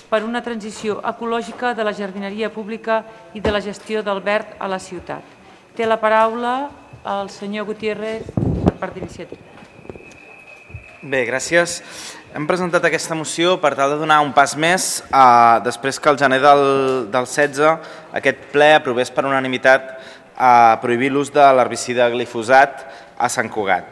per una transició ecològica de la jardineria pública i de la gestió del verd a la ciutat. Té la paraula el senyor Gutiérrez per part d'iniciativa. Bé, gràcies. Hem presentat aquesta moció per tal de donar un pas més després que el gener del 16 aquest ple aprovés per unanimitat prohibir l'ús de l'herbicida glifosat a Sant Cugat.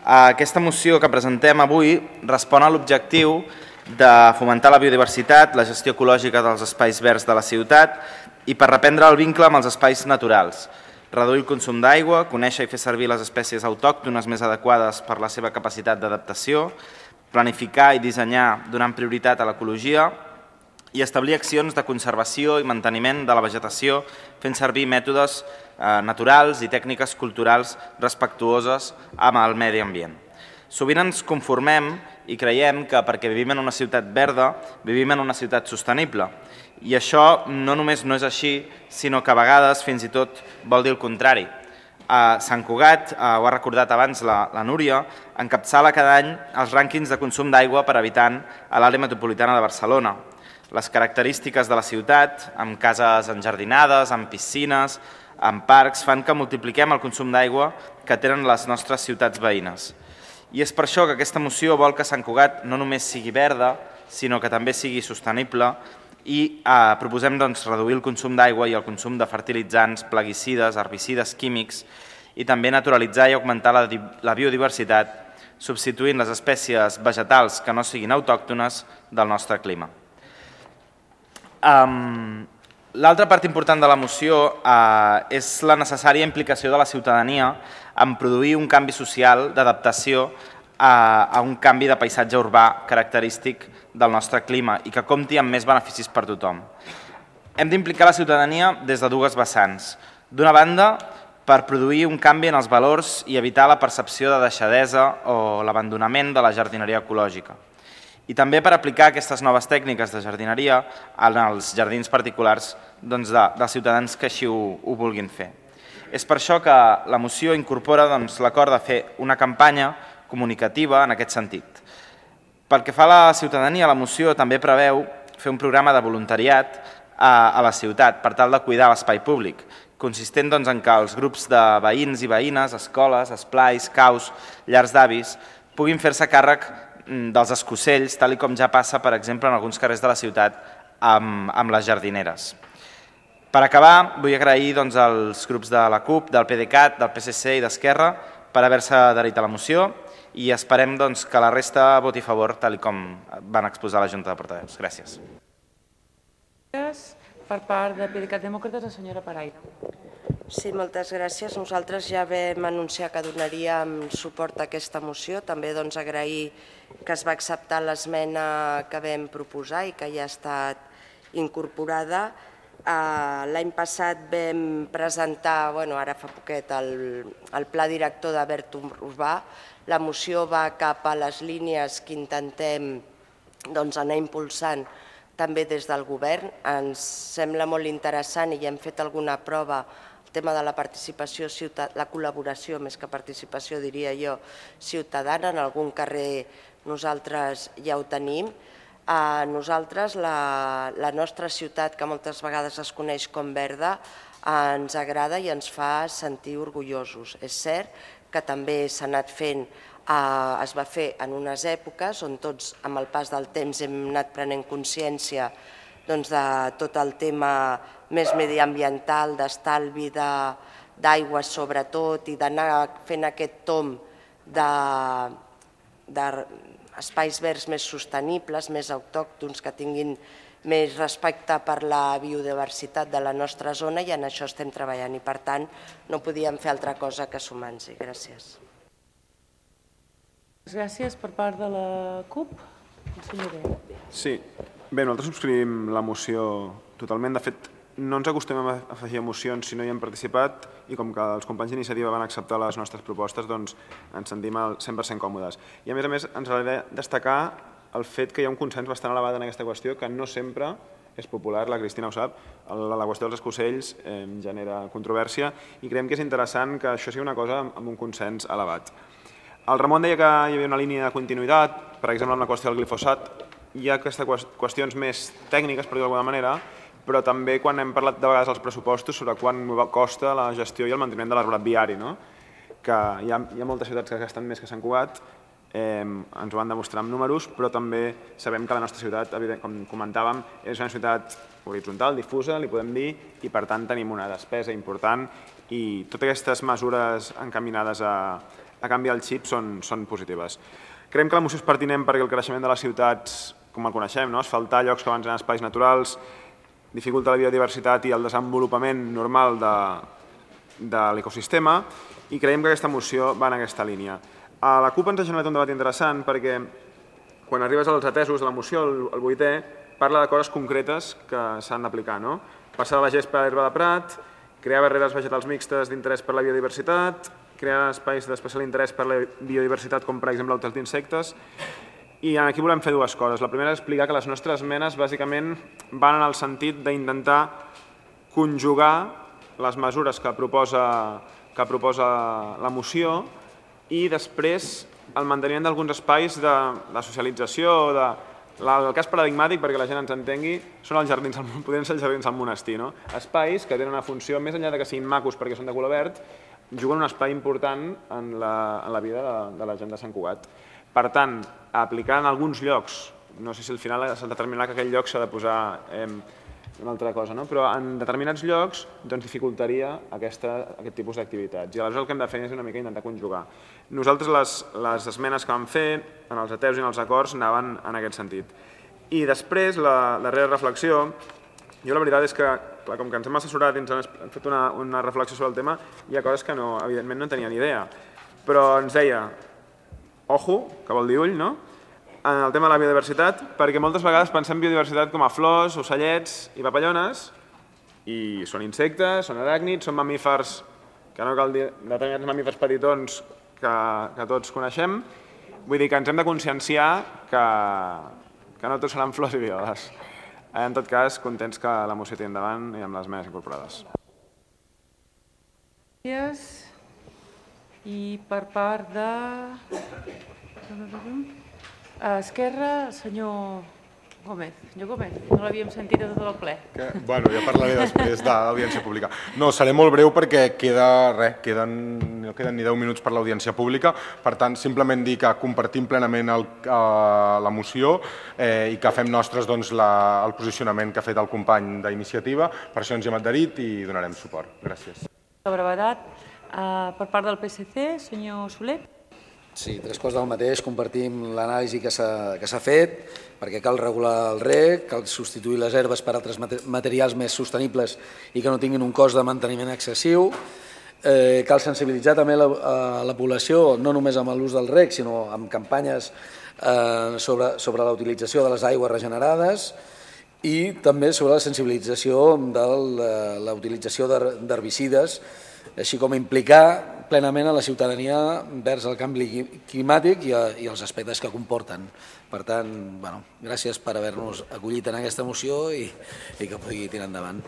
Aquesta moció que presentem avui respon a l'objectiu de fomentar la biodiversitat, la gestió ecològica dels espais verds de la ciutat i per reprendre el vincle amb els espais naturals, reduir el consum d'aigua, conèixer i fer servir les espècies autòctones més adequades per la seva capacitat d'adaptació, planificar i dissenyar donant prioritat a l'ecologia i establir accions de conservació i manteniment de la vegetació fent servir mètodes naturals i tècniques culturals respectuoses amb el medi ambient. Sovint ens conformem i creiem que perquè vivim en una ciutat verda, vivim en una ciutat sostenible. I això no només no és així, sinó que a vegades fins i tot vol dir el contrari. Sant Cugat, ho ha recordat abans la Núria, encapçala cada any els rànquings de consum d'aigua per habitant a l'àrea metropolitana de Barcelona. Les característiques de la ciutat, amb cases enjardinades, amb piscines, amb parcs, fan que multipliquem el consum d'aigua que tenen les nostres ciutats veïnes. I és per això que aquesta moció vol que Sant Cugat no només sigui verda, sinó que també sigui sostenible i proposem reduir el consum d'aigua i el consum de fertilitzants, plaguicides, herbicides químics i també naturalitzar i augmentar la biodiversitat substituint les espècies vegetals que no siguin autòctones del nostre clima. L'altra part important de la moció és la necessària implicació de la ciutadania en produir un canvi social d'adaptació a un canvi de paisatge urbà característic del nostre clima i que compti amb més beneficis per tothom. Hem d'implicar la ciutadania des de dues vessants. D'una banda, per produir un canvi en els valors i evitar la percepció de deixadesa o l'abandonament de la jardineria ecològica. I també per aplicar aquestes noves tècniques de jardineria en els jardins particulars dels ciutadans que així ho vulguin fer. És per això que la moció incorpora l'acord de fer una campanya comunicativa en aquest sentit. Pel que fa a la ciutadania, la moció també preveu fer un programa de voluntariat a la ciutat per tal de cuidar l'espai públic, consistent en que els grups de veïns i veïnes, escoles, esplais, caus, llars d'avis, puguin fer-se càrrec dels escocells, tal com ja passa, per exemple, en alguns carrers de la ciutat amb les jardineres. Per acabar, vull agrair als grups de la CUP, del PDeCAT, del PSC i d'Esquerra per haver-se adherit a la moció i esperem que la resta voti a favor, tal com van exposar la Junta de Portaveus. Gràcies. Gràcies. Per part de PDeCAT Demòcrates, la senyora Paraire. Sí, moltes gràcies. Nosaltres ja vam anunciar que donaríem suport a aquesta moció. També agrair que es va acceptar l'esmena que vam proposar i que ja ha estat incorporada. L'any passat vam presentar, ara fa poquet, el Pla Director de Verd Urbà. La moció va cap a les línies que intentem anar impulsant també des del govern. Ens sembla molt interessant i ja hem fet alguna prova el tema de la participació, la col·laboració, més que participació, diria jo, ciutadana. En algun carrer nosaltres ja ho tenim. A nosaltres, la nostra ciutat, que moltes vegades es coneix com verda, ens agrada i ens fa sentir orgullosos. És cert que també s'ha anat fent, es va fer en unes èpoques on tots, amb el pas del temps, hem anat prenent consciència de tot el tema més mediambiental, d'estalvi d'aigua sobretot, i d'anar fent aquest tomb d'espais verds més sostenibles, més autòctons, que tinguin més respecte per la biodiversitat de la nostra zona, i en això estem treballant i per tant no podíem fer altra cosa que sumar-nos-hi. Gràcies. Gràcies. Per part de la CUP, el senyor Bell. Sí, bé, nosaltres subscrivim la moció totalment. De fet, no ens acostumem a afegir emocions si no hi hem participat i com que els companys d'iniciativa van acceptar les nostres propostes, doncs ens sentim al 100% còmodes. I a més, ens agradaria destacar el fet que hi ha un consens bastant elevat en aquesta qüestió, que no sempre és popular, la Cristina ho sap, la qüestió dels escocells genera controvèrsia i creiem que és interessant que això sigui una cosa amb un consens elevat. El Ramon deia que hi havia una línia de continuïtat, per exemple, amb la qüestió del glifosat. hi ha qüestions més tècniques, per dir d'alguna manera, però també quan hem parlat de vegades als pressupostos sobre quant costa la gestió i el manteniment de l'arborat viari, que hi ha moltes ciutats que gasten més que Sant Cugat, ens ho van demostrar amb números, però també sabem que la nostra ciutat, com comentàvem, és una ciutat horitzontal, difusa, li podem dir, i per tant tenim una despesa important i totes aquestes mesures encaminades a canviar el xip són positives. Creiem que la moció és pertinent perquè el creixement de les ciutats, com el coneixem, asfaltar llocs que abans eren espais naturals, dificulta la biodiversitat i el desenvolupament normal de l'ecosistema, i creiem que aquesta moció va en aquesta línia. A la CUP ens ha generat un debat interessant perquè quan arribes als atesos de la moció, el 8è, parla de coses concretes que s'han d'aplicar. Passar la gespa a l'herba de prat, crear barreres vegetals mixtes d'interès per la biodiversitat, crear espais d'especial interès per la biodiversitat, com per exemple hotels d'insectes. I aquí volem fer dues coses. La primera és explicar que les nostres esmenes bàsicament van en el sentit d'intentar conjugar les mesures que proposa la moció i després el manteniment d'alguns espais de socialització, el cas paradigmàtic, perquè la gent ens entengui, són els jardins, podrien ser els jardins al monestir. Espais que tenen una funció, més enllà que siguin macos perquè són de color verd, juguen un espai important en la vida de la gent de Sant Cugat. Per tant, aplicar en alguns llocs, no sé si al final s'ha de determinar que aquell lloc s'ha de posar una altra cosa, però en determinats llocs dificultaria aquest tipus d'activitats. I aleshores el que hem de fer és una mica intentar conjugar. Nosaltres les esmenes que vam fer en els ateus i en els acords anaven en aquest sentit. I després, la darrera reflexió, jo la veritat és que, com que ens hem assessorat i ens hem fet una reflexió sobre el tema, hi ha coses que evidentment no tenia ni idea. Però ens deia, ojo, que vol dir ull, en el tema de la biodiversitat, perquè moltes vegades pensem biodiversitat com a flors, ocellets i papallones, i són insectes, són aràcnids, són mamífers, que no cal dir determinats mamífers petitons que tots coneixem. Vull dir que ens hem de conscienciar que no tots seran flors i violes. En tot cas, contents que la moció tiri endavant i amb les esmenes incorporades. Gràcies. I per part de Esquerra, senyor Gómez. Senyor Gómez, no l'havíem sentit a tot el ple. Bueno, ja parlaré després de l'audiència pública. No, seré molt breu perquè no queden ni 10 minuts per l'audiència pública. Per tant, simplement dir que compartim plenament la moció i que fem nostres el posicionament que ha fet el company d'Iniciativa. Per això ens hi hem adherit i donarem suport. Gràcies. La brevetat. Per part del PSC, senyor Soler. Sí, tres coses del mateix. Compartim l'anàlisi que s'ha fet, perquè cal regular el rec, cal substituir les herbes per altres materials més sostenibles i que no tinguin un cost de manteniment excessiu. Cal sensibilitzar també la població, no només amb l'ús del rec, sinó amb campanyes sobre la utilització de les aigües regenerades i també sobre la sensibilització de la utilització d'herbicides, així com implicar plenament a la ciutadania vers el canvi climàtic i els aspectes que comporten. Per tant, gràcies per haver-nos acollit en aquesta moció i que pugui tirar endavant.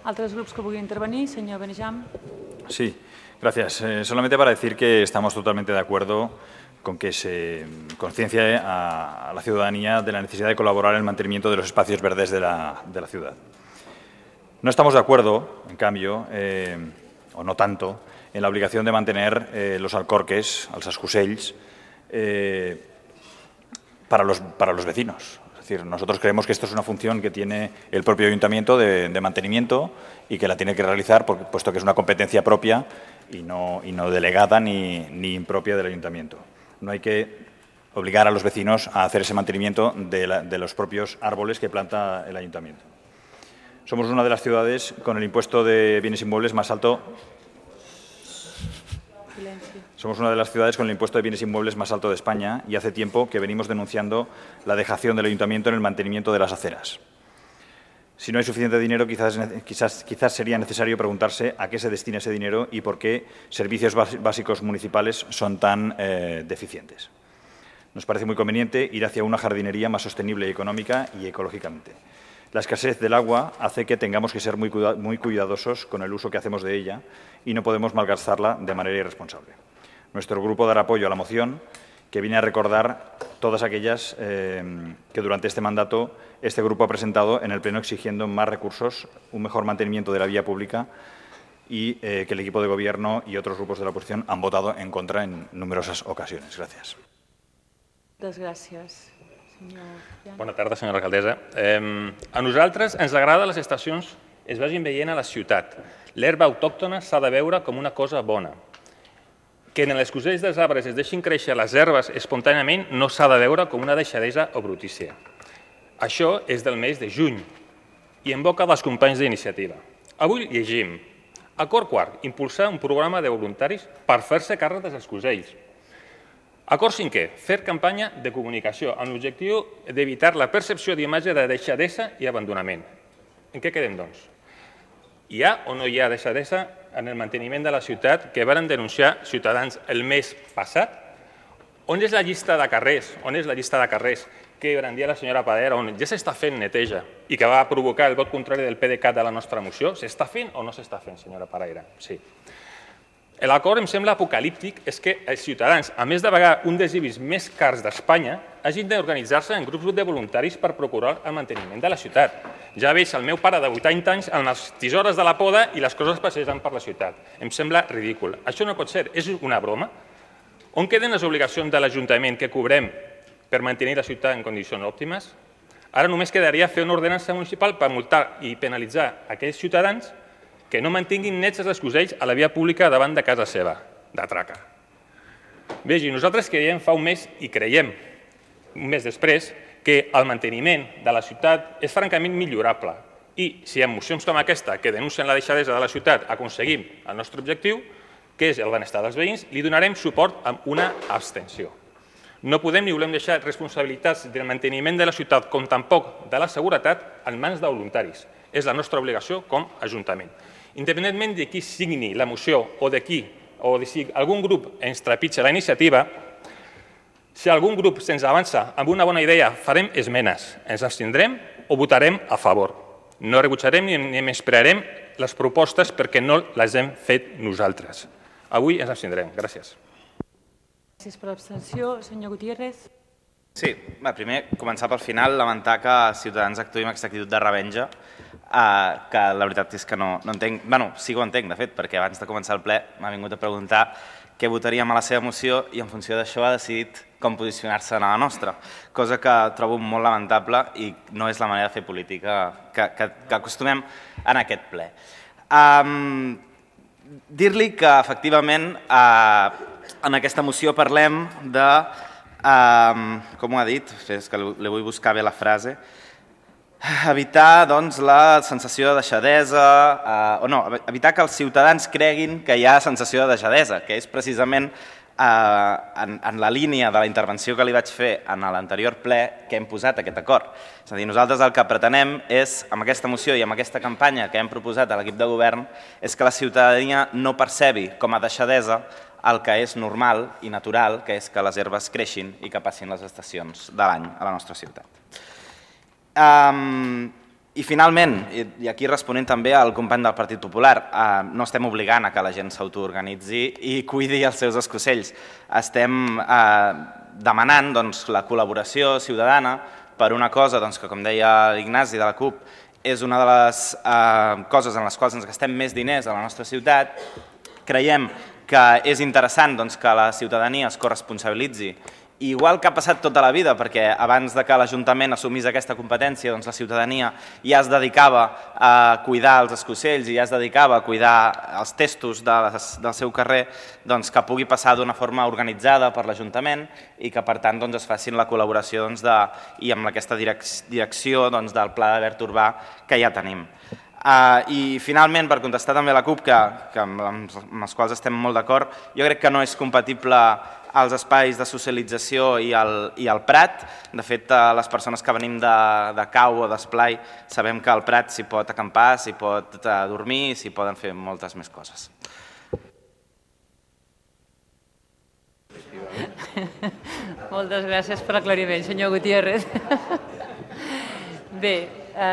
¿Altres grups que vulguin intervenir? Señor Benejam. Sí, gracias. Solamente para decir que estamos totalmente de acuerdo con que se conciencie a la ciudadanía de la necesidad de colaborar en el mantenimiento de los espacios verdes de la ciudad. No estamos de acuerdo, en cambio, o no tanto, en la obligación de mantener los alcorques, els escusells, para los vecinos. Es decir, nosotros creemos que esto es una función que tiene el propio ayuntamiento de mantenimiento y que la tiene que realizar, puesto que es una competencia propia y no delegada ni impropia del ayuntamiento. No hay que obligar a los vecinos a hacer ese mantenimiento de los propios árboles que planta el ayuntamiento. Somos una de las ciudades con el impuesto de bienes inmuebles más alto. Somos una de las ciudades con el impuesto de bienes inmuebles más alto de España y hace tiempo que venimos denunciando la dejación del ayuntamiento en el mantenimiento de las aceras. Si no hay suficiente dinero, quizás sería necesario preguntarse a qué se destina ese dinero y por qué servicios básicos municipales son tan deficientes. Nos parece muy conveniente ir hacia una jardinería más sostenible y económica y ecológicamente. La escasez del agua hace que tengamos que ser muy cuidadosos con el uso que hacemos de ella y no podemos malgastarla de manera irresponsable. Nuestro grupo dará apoyo a la moción que viene a recordar todas aquellas que durante este mandato este grupo ha presentado en el Pleno exigiendo más recursos, un mejor mantenimiento de la vía pública y que el equipo de Gobierno y otros grupos de la oposición han votado en contra en numerosas ocasiones. Gràcies. Moltes gràcies. Bona tarda, senyora alcaldessa. A nosaltres ens agrada que les estacions es vagin veient a la ciutat. L'herba autòctona s'ha de veure com una cosa bona. Que en els cosells dels arbres es deixin créixer les herbes espontàniament no s'ha de veure com una deixadesa o brutícia. Això és del mes de juny i en boca dels companys d'iniciativa. Avui llegim: acord quart, impulsar un programa de voluntaris per fer-se càrrec dels escosells. Acord cinquè, fer campanya de comunicació amb l'objectiu d'evitar la percepció d'imatge de deixadesa i abandonament. En què quedem, doncs? Hi ha o no hi ha deixadesa en el manteniment de la ciutat que varen denunciar ciutadans el mes passat? On és la llista de carrers? On és la llista de carrers que brandia la senyora Padera, on ja s'està fent neteja i que va provocar el vot contrari del PDeCAT de la nostra moció? S'està fent o no s'està fent, senyora Padera? Sí. L'acord em sembla apocalíptic és que els ciutadans, a més de pagar un dels IBIs més cars d'Espanya, hagin d'organitzar-se en grups de voluntaris per procurar el manteniment de la ciutat. Ja veig el meu pare de 80 anys amb les tisores de la poda i les coses passejant per la ciutat. Em sembla ridícul. Això no pot ser. És una broma? On queden les obligacions de l'Ajuntament que cobrem per mantenir la ciutat en condicions òptimes? Ara només quedaria fer una ordenança municipal per multar i penalitzar aquells ciutadans que no mantinguin nets els escosells a la via pública davant de casa seva, de traca. Vegi, nosaltres creiem fa un mes i creiem, un mes després, que el manteniment de la ciutat és francament millorable i si en mocions com aquesta que denuncien la deixadesa de la ciutat aconseguim el nostre objectiu, que és el benestar dels veïns, li donarem suport amb una abstenció. No podem ni volem deixar responsabilitats del manteniment de la ciutat com tampoc de la seguretat en mans de voluntaris. És la nostra obligació com a Ajuntament. Independentment de qui signi la moció o de qui, o de si algun grup ens trepitja la iniciativa, si algun grup se'ns avança amb una bona idea, farem esmenes, ens abstindrem o votarem a favor. No rebutjarem ni menysprearem les propostes perquè no les hem fet nosaltres. Avui ens abstindrem. Gràcies. Gràcies per l'abstenció. Senyor Gutiérrez. Sí, primer, començar pel final, lamentar que Ciutadans actuï amb aquesta actitud de revenja, que la veritat és que no entenc, sí que ho entenc, de fet, perquè abans de començar el ple m'ha vingut a preguntar què votaríem a la seva moció i en funció d'això ha decidit com posicionar-se en la nostra, cosa que trobo molt lamentable i no és la manera de fer política que acostumem en aquest ple. Dir-li que, efectivament, en aquesta moció parlem de, com ho ha dit, és que li vull buscar bé la frase, evitar la sensació de deixadesa, evitar que els ciutadans creguin que hi ha sensació de deixadesa, que és precisament en la línia de la intervenció que li vaig fer en l'anterior ple que hem posat aquest acord. És a dir, nosaltres el que pretenem és, amb aquesta moció i amb aquesta campanya que hem proposat a l'equip de govern, és que la ciutadania no percebi com a deixadesa el que és normal i natural, que és que les herbes creixin i que passin les estacions de l'any a la nostra ciutat. I finalment, i aquí responent també al company del Partit Popular, no estem obligant a que la gent s'autoorganitzi i cuidi els seus escocells. Estem demanant la col·laboració ciutadana per una cosa que, com deia l'Ignasi de la CUP, és una de les coses en les quals ens gastem més diners a la nostra ciutat. Creiem que és interessant que la ciutadania es corresponsabilitzi, igual que ha passat tota la vida, perquè abans que l'Ajuntament assumís aquesta competència, la ciutadania ja es dedicava a cuidar els escocells i ja es dedicava a cuidar els testos del seu carrer, que pugui passar d'una forma organitzada per l'Ajuntament i que, per tant, es facin la col·laboració i amb aquesta direcció del Pla de Verd Urbà que ja tenim. I finalment, per contestar també a la CUP, amb els quals estem molt d'acord, jo crec que no és compatible els espais de socialització i el Prat. De fet, les persones que venim de Cau o d'Esplai sabem que al Prat s'hi pot acampar, s'hi pot dormir, s'hi poden fer moltes més coses. Moltes gràcies per l'aclariment, senyor Gutiérrez. Bé,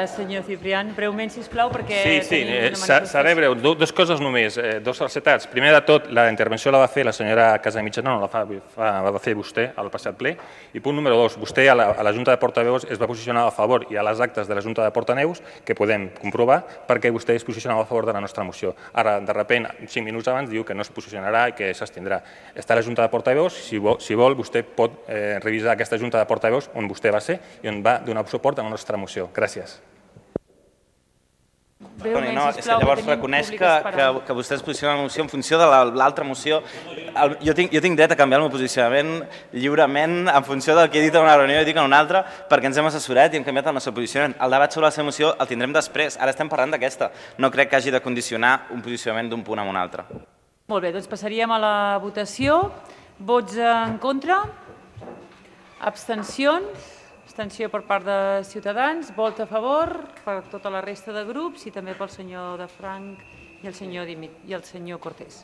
Senyor Ciprián, breument, sisplau, perquè Sí, tenim una seré breu. Dues coses només, dos falsetats. Primer de tot, la intervenció la va fer la senyora Casamitjana, no la va fer vostè al passat ple. I punt número 2, vostè a la Junta de Portaveus es va posicionar a favor i a les actes de la Junta de Portaveus, que podem comprovar, perquè vostè es posicionava a favor de la nostra moció. Ara, de repent, 5 minuts abans, diu que no es posicionarà i que s'abstindrà. Està a la Junta de Portaveus, si vol, vostè pot revisar aquesta Junta de Portaveus on vostè va ser i on va donar suport a la nostra moció. Gràcies. No, és que llavors reconeix que vostè es posiciona en la moció en funció de l'altra moció. Jo tinc dret a canviar el meu posicionament lliurement en funció del que he dit en una reunió i dic en una altra, perquè ens hem assessorat i hem canviat el nostre posicionament. El debat sobre la seva moció el tindrem després, ara estem parlant d'aquesta. No crec que hagi de condicionar un posicionament d'un punt a un altre. Molt bé, doncs passaríem a la votació. Vots en contra? Abstencions? Abstenció per part de Ciutadans, vot a favor per tota la resta de grups i també pel senyor de Franc i el senyor Cortés.